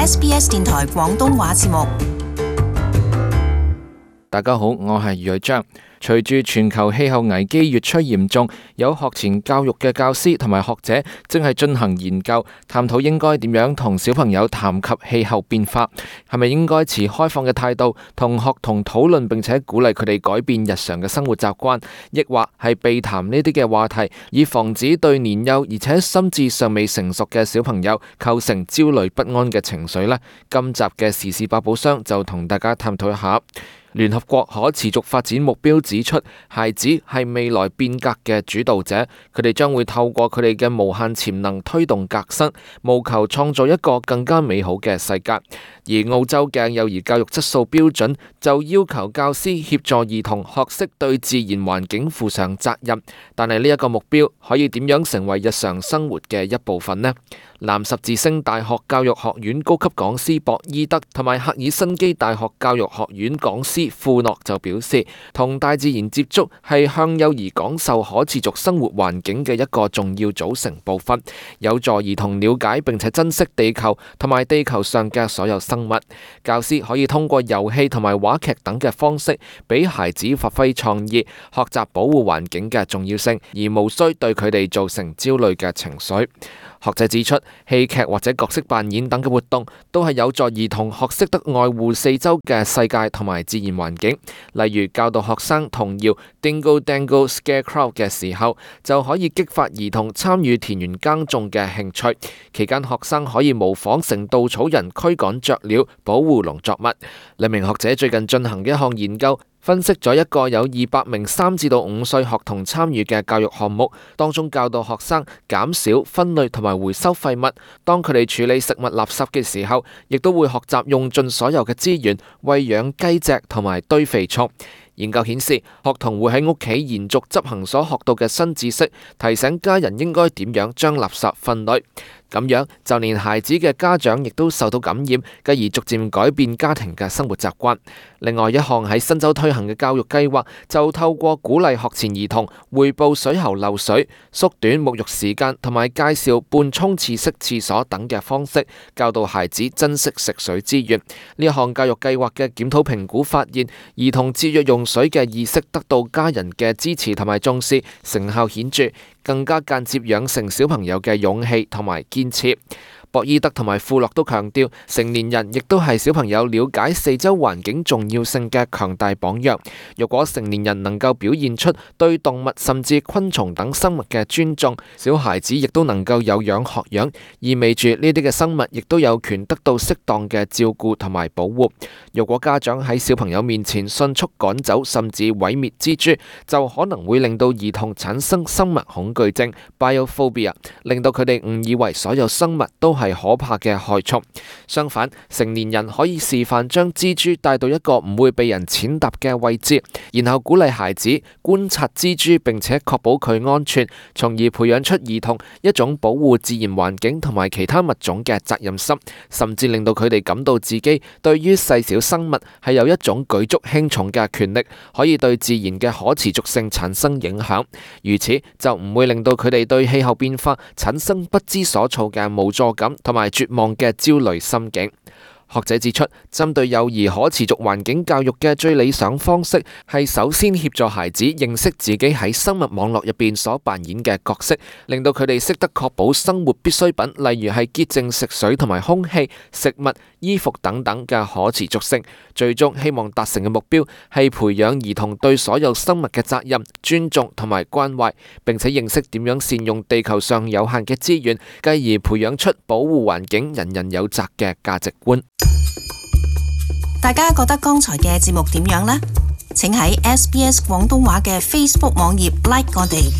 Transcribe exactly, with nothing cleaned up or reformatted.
S B S 電台廣東話節目。大家好，我係余偉章。隨住全球氣候危機越趨嚴重，有學前教育嘅教師同埋學者正係進行研究，探討應該點樣同小朋友談及氣候變化，係咪應該持開放嘅態度同學童討論，並且鼓勵佢哋改變日常嘅生活習慣，抑或係避談呢啲嘅話題，以防止對年幼而且心智尚未成熟嘅小朋友構成焦慮不安嘅情緒呢？今集嘅時事百寶箱就同大家探討一下。聯合國可持續發展目標指出，孩子係未來變革嘅主導者，佢哋將會透過佢哋嘅無限潛能推動革新，務求創造一個更加美好嘅世界。而澳洲嘅幼兒教育質素標準就要求教師協助兒童學識對自然環境負上責任，但係呢一個目標可以點樣成為日常生活嘅一部分呢？南十字星大學教育學院高級講師博伊德同埋赫爾辛基大學教育學院講師庫諾就表示，同大自然接觸係向幼兒講授可持續生活環境嘅一個重要組成部分，有助兒童了解並且珍惜地球同埋地球上嘅所有生物。教師可以通過遊戲同埋話劇等嘅方式，俾孩子發揮創意，學習保護環境嘅重要性，而無需對佢哋造成焦慮嘅情緒。學者指出，戲劇或者角色扮演等嘅活動都係有助兒童學識得愛護四周嘅世界同埋自然環境。例如教導學生童謠 Dingle Dangle Scarecrow 嘅時候，就可以激發兒童參與田園耕種嘅興趣。期間學生可以模仿成稻草人驅趕雀鳥，保護農作物。兩名學者最近進行嘅一項研究，分析咗一個有二百名三至到五歲學童參與嘅教育項目，當中教導學生減少分類同埋回收廢物。當佢哋處理食物垃圾嘅時候，亦都會學習用盡所有嘅資源餵養雞隻同埋堆肥畜。研究顯示，學童會喺屋企延續執行所學到嘅新知識，提醒家人應該點樣將垃圾分類。咁樣就連孩子嘅家長亦都受到感染，繼而逐漸改變家庭嘅生活習慣。另外一項喺新州推行嘅教育計劃，就透過鼓勵學前兒童匯報水喉漏水、縮短沐浴時間同埋介紹半沖廁式廁所等嘅方式，教導孩子珍惜食水資源。呢一項教育計劃嘅檢討評估發現，兒童節約用水嘅意識得到家人嘅支持同埋重視，成效顯著，更加間接養成小朋友嘅勇氣同埋堅持。博伊德同埋庫洛都強調，成年人亦都係小朋友了解四周環境重要性嘅強大榜樣。若果成年人能夠表現出對動物甚至昆蟲等生物嘅尊重，小孩子亦都能夠有樣學樣，意味住呢啲嘅生物亦都有權得到適當嘅照顧同埋保護。若果家長喺小朋友面前迅速趕走甚至毀滅蜘蛛，就可能會令到兒童產生生物恐懼症 （biophobia）， 令到佢哋誤以為所有生物都係係可怕嘅害蟲。相反，成年人可以示範將蜘蛛帶到一個唔會被人踐踏嘅位置，然後鼓勵孩子觀察蜘蛛，並且確保佢安全，從而培養出兒童一種保護自然環境同埋其他物種嘅責任心，甚至令到佢哋感到自己對於細小生物係有一種舉足輕重嘅權力，可以對自然嘅可持續性產生影響。如此就唔會令到佢哋對氣候變化產生不知所措嘅無助感同埋絕望嘅焦慮心境。學者指出，針對幼兒可持續環境教育嘅最理想方式係首先協助孩子認識自己喺生物網絡入邊所扮演嘅角色，令到佢哋識得確保生活必需品，例如係潔淨食水同埋空氣、食物、衣服等等嘅可持續性。最終希望達成嘅目標係培養兒童對所有生物嘅責任、尊重同埋關懷，並且認識點樣善用地球上有限嘅資源，繼而培養出保護環境人人有責嘅價值觀。大家覺得剛才嘅節目點樣呢？請喺 S B S 廣東話嘅 Facebook 網頁 like 我哋。